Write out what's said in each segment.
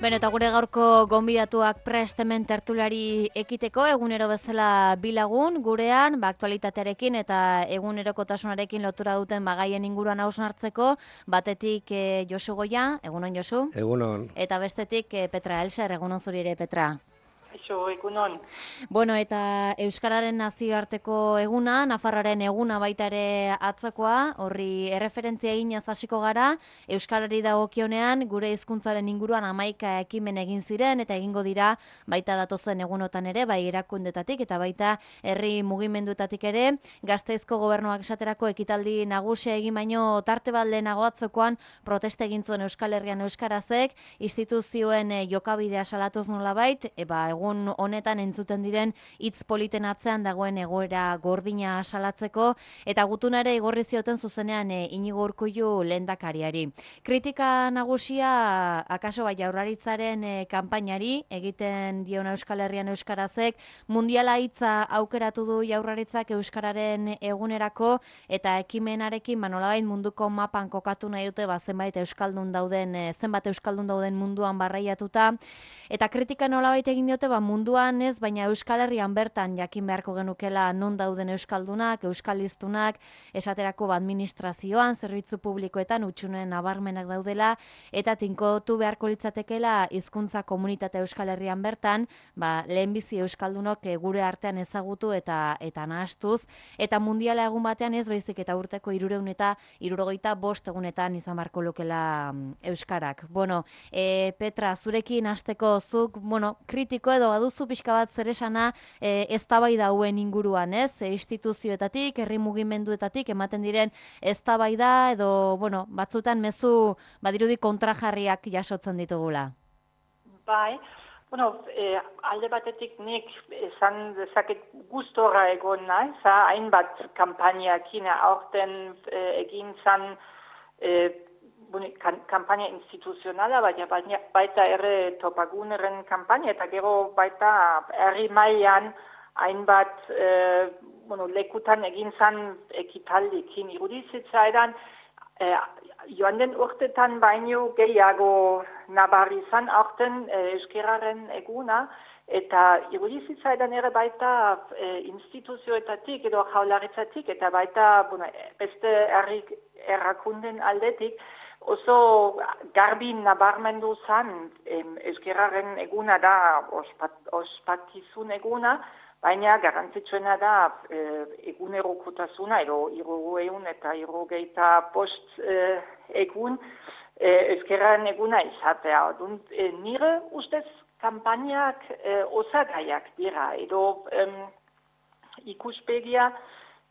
Beno, eta gure gaurko gonbidatuak prest hemen tertulari ekiteko, egunero bezala bilagun, gurean, aktualitatearekin eta egunerokotasunarekin lotura duten bagaien inguruan hausnartzeko, batetik Josu Goia, egunon Josu? Egunon. Eta bestetik Petra Elser, egunon zuri ere, Petra? Egunon. Bueno, eta Euskararen nazioarteko eguna, Nafarroaren eguna baita ere atzokoa, horri erreferentzia eginez hasiko gara, Euskarari dagokionean gure hizkuntzaren inguruan 11 ekimen egin ziren eta egingo dira baita datozen egunotan ere, bai erakundetatik eta baita herri mugimenduetatik ere, Gasteizko gobernuak esaterako ekitaldi nagusia egin baino tarte bat lehenago atzokoan protesta egin zuen Euskal Herrian euskarazek, instituzioen jokabidea salatuz nolabait, egun honetan entzuten diren hitz politen atzean dagoen egoera gordina salatzeko eta gutunare igorri zioten zuzenean Inigo Urkullu lehendakariari. Kritika nagusia akaso bai Jaurlaritzaren kanpainari egiten diona Euskal Herrian euskarazek mundiala hitza aukeratu du Jaurlaritzak euskararen egunerako eta ekimenarekin nolabait munduko mapan kokatu nahi dute zenbat euskaldun dauden munduan barraiatuta eta kritika nolabait egin diote munduan ez, baina Euskal Herrian bertan jakin beharko genukela non dauden euskaldunak, euskaliztunak, esaterako administrazioan, zerbitzu publikoetan utxunen nabarmenak daudela, eta tinkotu beharko litzatekela hizkuntza komunitate Euskal Herrian bertan, lehenbizi euskaldunok gure artean ezagutu eta nahastuz, eta mundiala egun batean ez baizik eta urteko 375 egunetan izan beharko lukela euskarak. Bueno, Petra, zurekin hasteko zuk, kritiko edo baduzu pixka bat zer esana eztabaida hauen inguruan, ez? Instituzioetatik, herri mugimenduetatik ematen diren eztabaida edo, batzutan mezu badirudi kontrajarriak jasotzen ditugula. Bai, alde batetik nik esan dezaket gustora egon naiz, hainbat kanpainakin aurten egin zan kampaina instituzionala, baita ere topaguneren kampaina, eta gero baita herri mailan hainbat lekutan egin zan ekitaldikin irudizitzaidan, joan den urtetan baino gehiago nabarri zan aurten euskararen eguna, eta irudizitzaidan ere baita instituzioetatik edo Jaurlaritzatik, eta baita beste herri erakunden aldetik, oso garbi nabarmendu zan euskararen eguna da ospakizun eguna, baina garrantzitsuena da egunerokotasuna edo 365 egun euskararen eguna izatea. Nire ustez kanpainak osagaiak dira edo ikuspegia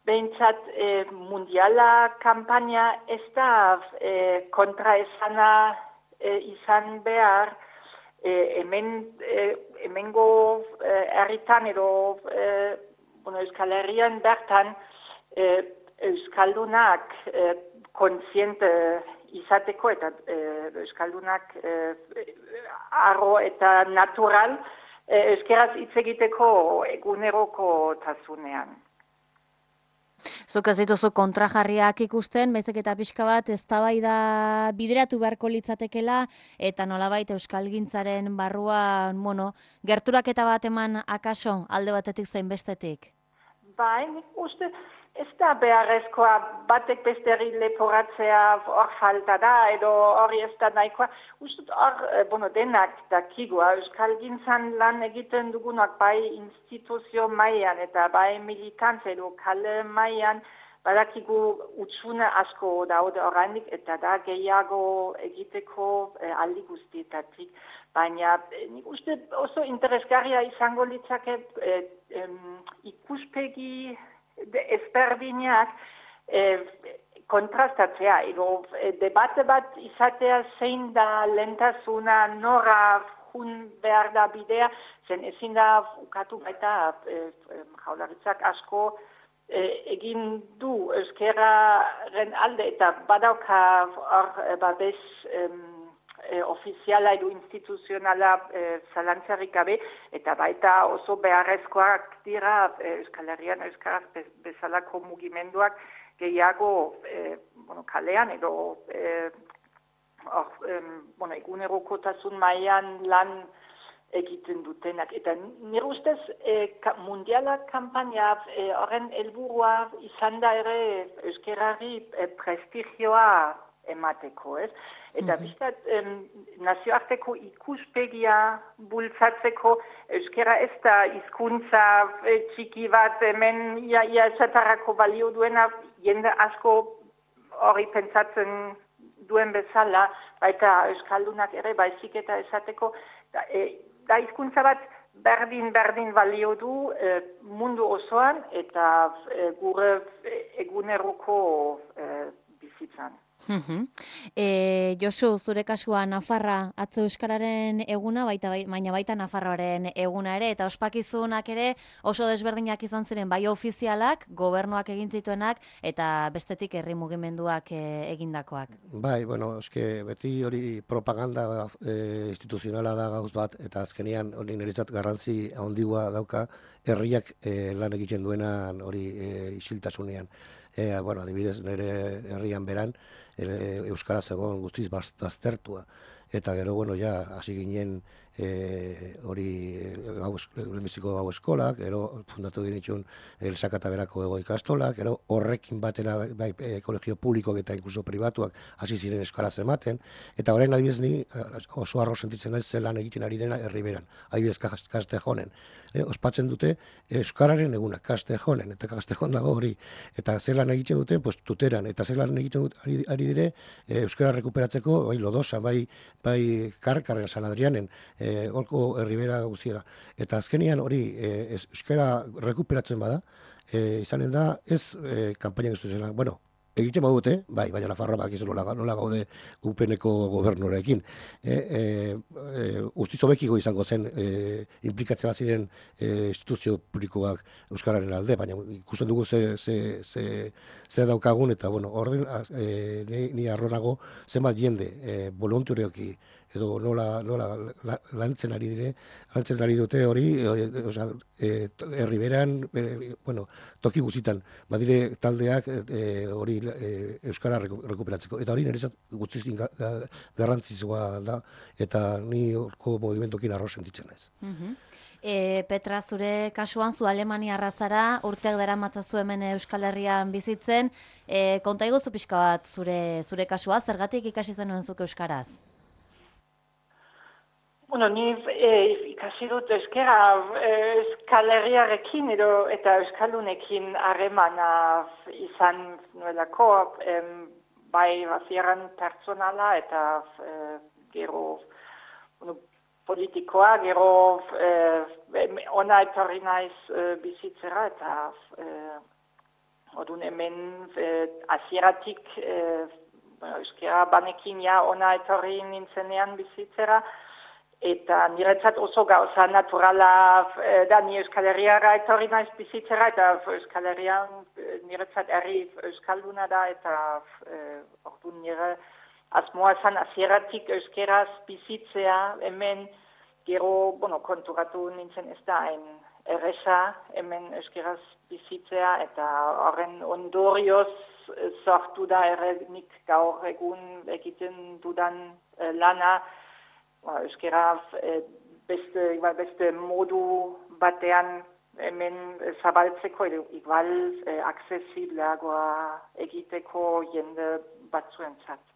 behintzat mundiala kanpaina ez da kontraesana izan behar hemengo herritan edo Euskal Herrian bertan euskaldunak kontziente izateko eta euskaldunak arro eta natural euskaraz hitz egiteko eguneroko tasunean. Zuk ez dituzu kontrajarriak ikusten, baizik eta pixka bat eztabaida bideratu beharko litzatekela eta nolabait euskalgintzaren barruan, gerturaketa bat eman akaso alde batetik zein bestetik? Bai, nik uste ez da beharrezkoa batek besteri leporatzea hor falta da edo hori ez da nahikoa. Uste hor, denak dakigua, euskalgintzan lan egiten dugunak bai instituzio mailan eta bai militantze edo kale mailan badakigu utxune asko daude oraindik eta da gehiago egiteko aldi guztietatik. Baina nik uste oso interesgarria izango litzake ikuspegi ezberdinak kontrastatzea edo debate bat izatea zein da lehentasuna nora jun behar da bidea, zen ezin da ukatu baita Jaurlaritzak asko egin du euskararen alde eta badauka babes ofiziala edo instituzionala zalantzarik gabe, eta baita oso beharrezkoak dira Euskal Herrian euskaraz bezalako mugimenduak gehiago kalean edo egunerokotasun mailan lan egiten dutenak. Eta nire ustez mundialak kanpaina horren helburua izan da ere euskerari prestigioa emateko, ez? Eta biztat, nazioarteko ikuspegia bultzatzeko, euskera ez da hizkuntza txiki bat, hemen ia esatarako balio duena, jende asko hori pentsatzen duen bezala, baita euskaldunak ere baizik eta esateko, da hizkuntza bat berdin balio du mundu osoan eta gure eguneroko bizitzan. Josu, zure kasua Nafarra atzo euskararen eguna, baina baita Nafarroaren eguna ere, eta ospakizunak ere oso desberdinak izan ziren, bai ofizialak, gobernuak egin zituenak, eta bestetik herri mugimenduak egindakoak. Bai, eske beti hori propaganda instituzionala da gauz bat, eta azkenean hori niretzat garrantzi handigoa dauka herriak lan egiten duenan hori isiltasunean. Adibidez, nire herrian beran, euskaraz egon guztiz baztertua. Eta gero, hasi ginen hori lehenbiziko gau eskolak, gero fundatu genituen Elsaka Berako ego ikastolak, gero horrekin batera bai kolegio publikoak eta inkluso pribatuak hasi ziren euskaraz ematen, eta orain adibidez ni oso harro sentitzen naiz zelan egiten ari dena herriberan, adibidez Kastejonen. Ospatzen dute euskararen eguna, Kastejonen, eta Kastejon dago hori, eta zelan egiten dute, tuteran, eta zelan egiten ari dire euskara rekuperatzeko, bai Lodosa, bai Karkarren, San Adrianen, holko herribera guztiera. Eta azkenian hori euskara rekuperatzen bada, izanen da ez kanpaina guztizena. Egiten badute, baina Nafarroa bakizu nola gaude UPNeko gobernuarekin. Guztiz hobekiko izango zen inplikatzen ziren instituzio publikoak euskararen alde, baina ikusten dugu ze daukagun, eta orden ni harronago zenbat jende voluntarioki edo nola lantzen ari dute hori, herriberan, toki guztitan, badire taldeak hori euskara rekuperatzeko. Eta hori niretzat guztiz garrantzitsua da, eta ni horko movimentokin arro sentitzen naiz. Petra, zure kasuan, zu Alemaniarra zara, urteak daramatzazu hemen Euskal Herrian bizitzen, konta iguzu pixka bat zure kasua, zergatik ikasi zenuen zuk euskaraz? Ni ikasi dut euskara Euskal Herriarekin eta euskaldunekin harremana izan nuelako, bai bazieran pertsonala eta gero politikoa, gero ona etorri naiz bizitzera, eta orduan hemen hasieratik euskara banekin ona etorri nintzenean bizitzera, eta niretzat oso gauza naturala da ni Euskal Herriara etorri naiz bizitzera, eta Euskal Herrian niretzat herri euskalduna da, eta orduan nire asmoa zan hasieratik euskeraz bizitzea, hemen gero, konturatu nintzen ez da erresa hemen euskeraz bizitzea, eta horren ondorioz sortu da ere nik gaur egun egiten dudan lana, euskera beste modu batean hemen zabaltzeko, edo igual aksesibleagoa egiteko jende batzuentzat.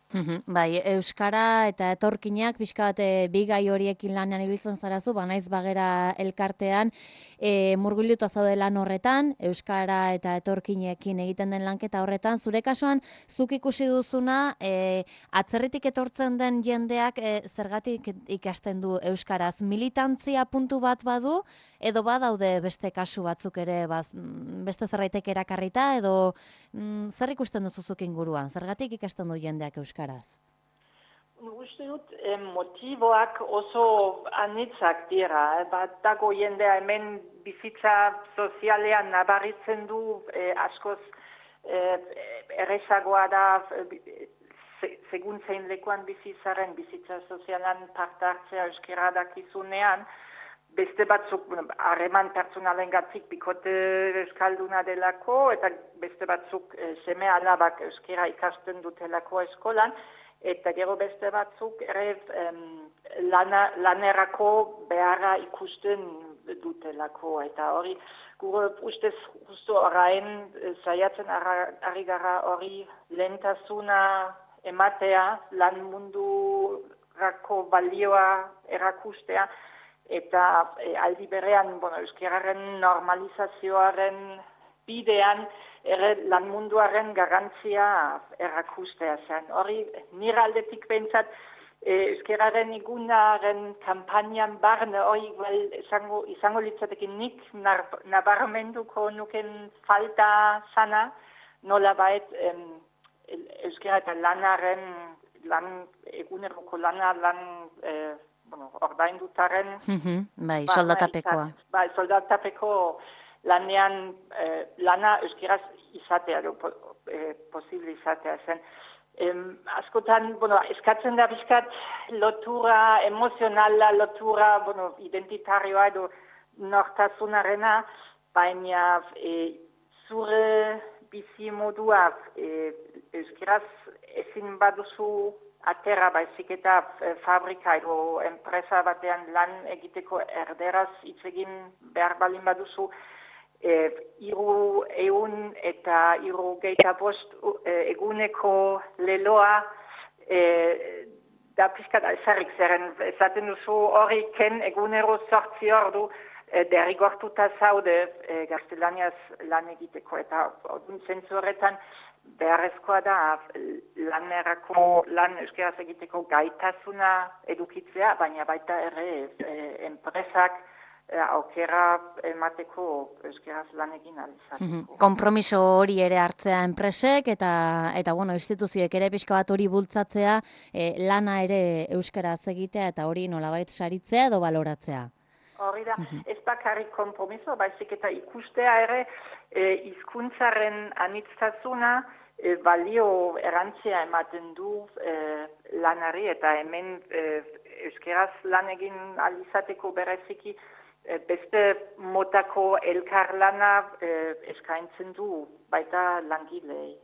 Bai, euskara eta etorkinak pixka bat bi gai horiekin lanean ibiltzen zarazu, banaiz bagera elkartean, murgilduta zaude lan horretan, euskara eta etorkinekin egiten den lanketa horretan, zure kasuan zuk ikusi duzuna, atzerritik etortzen den jendeak zergatik ikasten du euskaraz, militantzia puntu bat badu, edo badaude beste kasu batzuk ere, beste zerbaitek erakarrita, edo zer ikusten duzuzuk inguruan, zergatik ikasten du jendeak euskaraz? Uste dut motiboak oso anitzak dira, bat dago jendea hemen bizitza sozialean nabaritzen du, askoz errezagoa da, segun zein lekuan bizitzaren, bizitza sozialan parte hartzea euskara dakizunean, beste batzuk harreman pertsonalengatik bikote euskalduna delako, eta beste batzuk seme alabak euskara ikasten dutelako eskolan, eta gero beste batzuk ere lanerako beharra ikusten dutelako, eta hori gure ustez justu orain saiatzen ari gara hori lehentasuna ematea, lan mundurako balioa erakustea, eta aldi berean, euskararen normalizazioaren bidean ere lan munduaren garrantzia erakustea zen. Hori nire aldetik behintzat euskararen igunaren kampainan barne hori izango litzatekin nik nabarmenduko nuken falta sana, nolabait euskara eta eguneroko lana ordaindutaren bai, soldatapekoa. Bai, soldatapeko lanean lana euskaraz izatea, posible izatea zen. Askotan, eskatzen da bizkat lotura emozionala, lotura, identitarioa edo nortasunarena, baina zure bizi modua euskaraz ezin baduzu atera baizik eta fabrika edo enpresa batean lan egiteko erderaz hitz egin behar balin baduzu, 300 eta 305 eguneko leloa da pixkat alzarrik zeren esaten duzu hori ken egunero 8 ordu derrigortuta zaude gaztelaniaz lan egiteko, eta zentzu horretan beharrezkoa da lan euskaraz egiteko gaitasuna edukitzea, baina baita ere enpresak aukera emateko euskaraz lan egin alizateko. Konpromiso hori ere hartzea enpresek eta instituzioek ere pixka bat hori bultzatzea, lana ere euskaraz egitea eta hori nolabait saritzea edo baloratzea. Hori da, ez bakarrik konpromiso, baizik eta ikustea ere hizkuntzaren anittasuna balio erantzia ematen du lanari, eta hemen euskaraz lan egin alizateko bereziki beste motako elkarlana eskaintzen du baita langilei.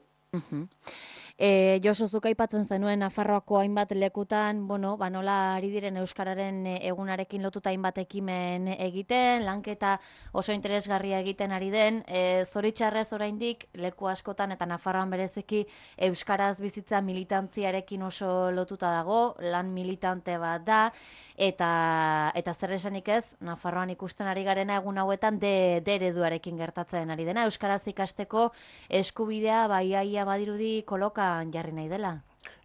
Josu, zuk aipatzen zenuen Nafarroako hainbat lekutan, nola ari diren euskararen egunarekin lotuta hainbat ekimen egiten, lanketa oso interesgarria egiten ari den, zoritxarrez oraindik leku askotan eta Nafarroan bereziki euskaraz bizitza militantziarekin oso lotuta dago, lan militante bat da, eta zer esanik ez, Nafarroan ikusten ari garena egun hauetan D ereduarekin gertatzen ari dena, euskaraz ikasteko eskubidea baiaia badirudi kolokan jarri nahi dela.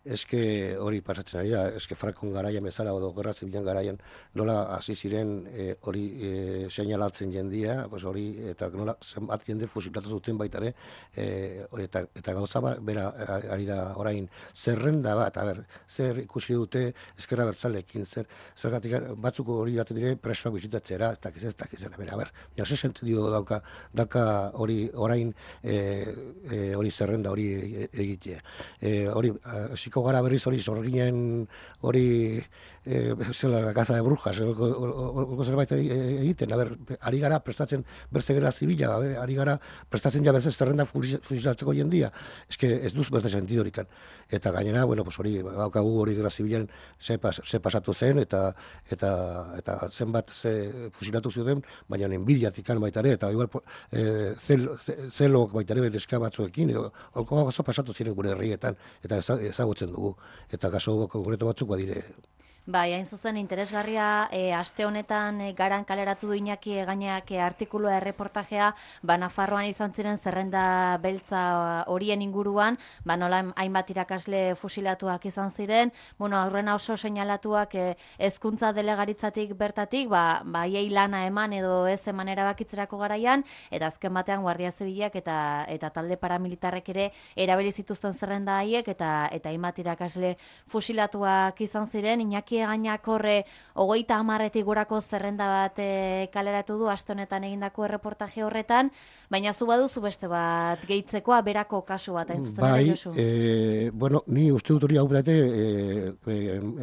Eske hori pasatzen ari da, eske Frankon garaian bezala edo Gerra Zibilen garaian nola hasi ziren hori seinalatzen jendia, hori eta nola zenbat jende fusilatu zuten baita ere, eta gauza bera ari da orain zerrenda bat, zer ikusi dute Ezker Abertzaleekin, zergatik batzuk hori baten dire presoak bisitatzera, eta kizera, ja ze sentido dauka hori orain hori zerrenda hori egitea. Hori hasiko gara berriz hori zorginen hori zela la casa de brujas, olko zerbait egiten, ari gara prestatzen berze Gerra Zibila, ari gara prestatzen ja berze zerrenda fusilatzeko jendia, eske ez duz berze sentidorikan. Eta gainera, hori daukagu hori Gerra Zibilan ze pasatu zen, eta zenbat ze fusilatu zuten, baina enbidiatikan baita ere, eta igual zelok baita ere neska batzuekin, olko gauza pasatu ziren gure herrietan, eta ezagutzen dugu, eta kaso konkretu batzuk badire. Bai, hain zuzen interesgarria, aste honetan garan kaleratu du Iñaki Egañak artikulua erreportajea, Nafarroan izan ziren zerrenda beltza horien inguruan, nola hainbat irakasle fusilatuak izan ziren, aurrena oso seinalatuak hezkuntza delegaritzatik bertatik, haiei lana eman edo ez eman erabakitzerako garaian, eta azken batean Guardia Zibilak eta talde paramilitarrek ere erabili zituzten zerrenda haiek, eta hainbat irakasle fusilatuak izan ziren. Iñaki Egañak horre 30 gorako zerrenda bat kaleratu du aste honetan egindako erreportaje horretan, baina zu baduzu beste bat gehitzekoa, berako kasu bat hain zuzen ere, Josu. Ni uste dut hori hau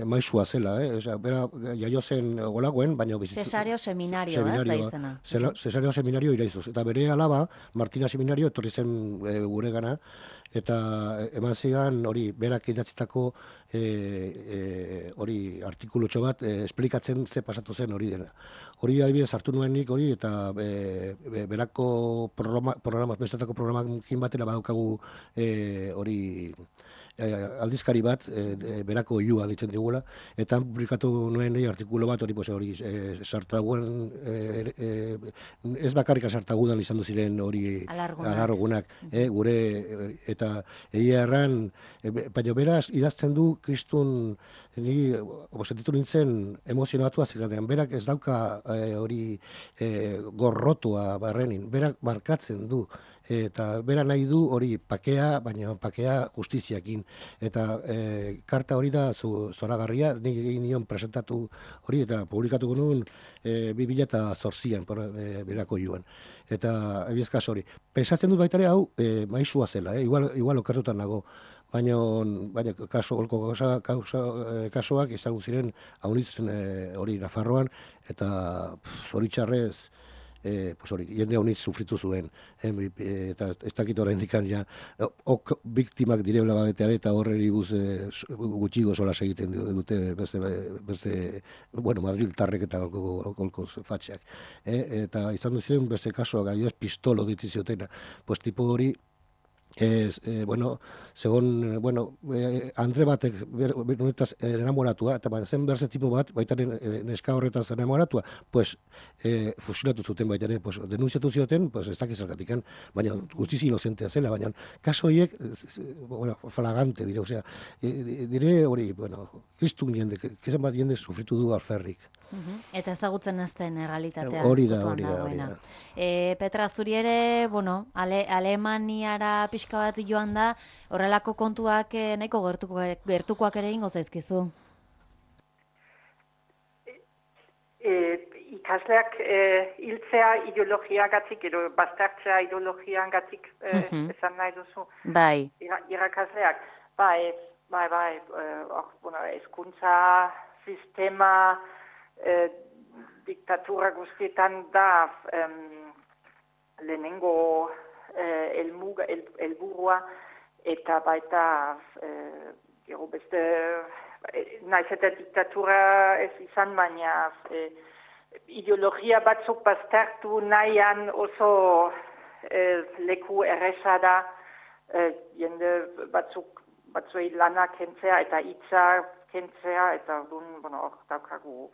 maizua zela, bera jaio zen golagoen, baina Cesareo Seminario, ez da izena. Cesareo Seminario iraizuz, eta bere alaba, Martina Seminario, etorri zen guregana, eta eman zigan hori berak idatzitako hori artikulutxo bat esplikatzen ze pasatu zen hori dena. Hori adibidez hartu nuen nik hori eta berako bestetako programakin batera badaukagu hori aldizkari bat, berako oiua ditzen digula, eta publikatu nuen artikulu bat, hori sartaguen, ez bakarrik sartagudan izan ziren hori alargunak, gure, eta egia erran, baina beraz idazten du kristun, ni sentitu nintzen emozionatu azikatean, berak ez dauka hori gorrotua barrenin, berak barkatzen du, eta bera nahi du hori pakea, baina pakea justiziakin. Eta karta hori da zoragarria, nik egin nion presentatu hori eta publikatu nuen 2008an berako joan. Eta ebiezkaz hori. Pensatzen dut baitare hau maizua zela, igual okertutan nago. Baina kasuak izango ziren haunitzen hori Nafarroan, eta zoritxarrez jende honitz sufritu zuen, eta ez dakit orain dikan ja, biktimak direbla bageteare eta horreri gutxigo solas egiten dute beste, Madriltarrek eta golko fatxeak. Eta izan duziren beste kasuak, adibidez pistolo ditziziotena, pues tipo hori, Andre batek honetaz enamoratua, eta zen berze tipo bat, baita neska horretaz enamoratua, pues fusilatu zuten baita ere, pues denunziatu zioten, pues ez dakiz zergatikan, baina guztiz inozentea zela, baina kaso horiek, flagante dire, osea, dire hori, kristun jende, kezan bat jende sufritu du alferrik. Eta ezagutzen ezten realitatea. Hori da. Petra, zuri ere, Alemaniara pixka bat joan da, horrelako kontuak nahiko gertukoak ere ingo zaizkizu? Ikasleak hiltzea ideologiagatik, edo baztertzea ideologiagatik esan nahi duzu. Bai. Irakasleak. Bai, hezkuntza sistema diktatura guztietan da lehenengo helburua eta baita gero beste naiz eta diktatura ez izan, baina ideologia batzuk baztertu nahian oso leku erresa da jende batzuei lana kentzea eta hitza kentzea, eta hor daukagu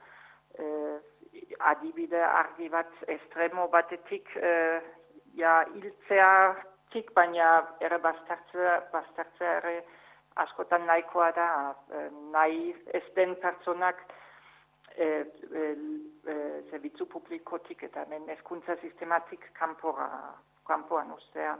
adibide argi bat estremo batetik hiltzeatik, baina ere baztertzea ere askotan nahikoa da, nahi ez den pertsonak zerbitzu publikotik eta hezkuntza sistematik kanpoan ustea.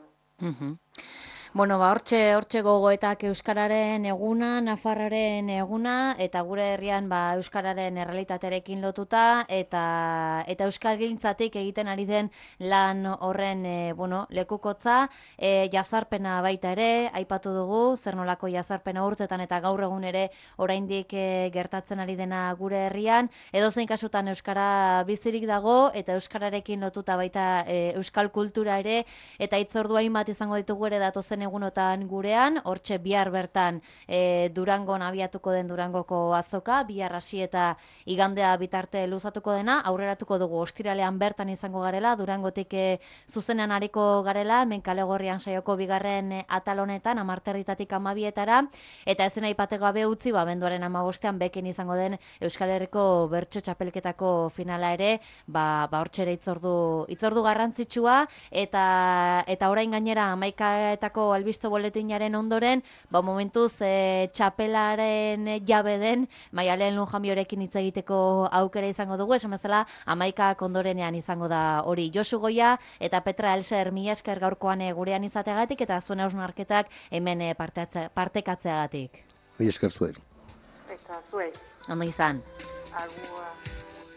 Hortxe gogoetak Euskararen eguna, Nafarraren eguna, eta gure herrian Euskararen errealitatearekin lotuta, eta euskalgintzatik egiten ari den lan horren lekukotza, jazarpena baita ere, aipatu dugu, zer nolako jazarpena urtetan eta gaur egun ere oraindik gertatzen ari dena gure herrian, edozein kasutan Euskara bizirik dago, eta Euskararekin lotuta baita euskal kultura ere, eta hitzordu hainbat izango ditugu ere datozen egunotan gurean, hortxe bihar bertan Durangon abiatuko den Durangoko azoka, bihar hasi eta igandea bitarte luzatuko dena, aurreratuko dugu ostiralean bertan izango garela, Durangotik zuzenean ariko garela, hemen Kale Gorrian saioko bigarren atal honetan, 10:00 12:00, eta ezen aipatu gabe utzi, abenduaren 15ean beken izango den Euskal Herriko bertso txapelketako finala ere, hortxe ere hitzordu garrantzitsua, eta orain gainera 11etako albiste boletinaren ondoren, momentuz txapelaren jabe den Maialen Lujanbiorekin hitz egiteko aukera izango dugu, esan bezala 11ak ondorenean izango da hori. Josu Goia eta Petra Elser, mila esker gaurkoan gurean izateagatik eta zuen hausnarketak hemen partekatzeagatik. Mila esker zuen. Eta zuen. Ondo izan. Agua.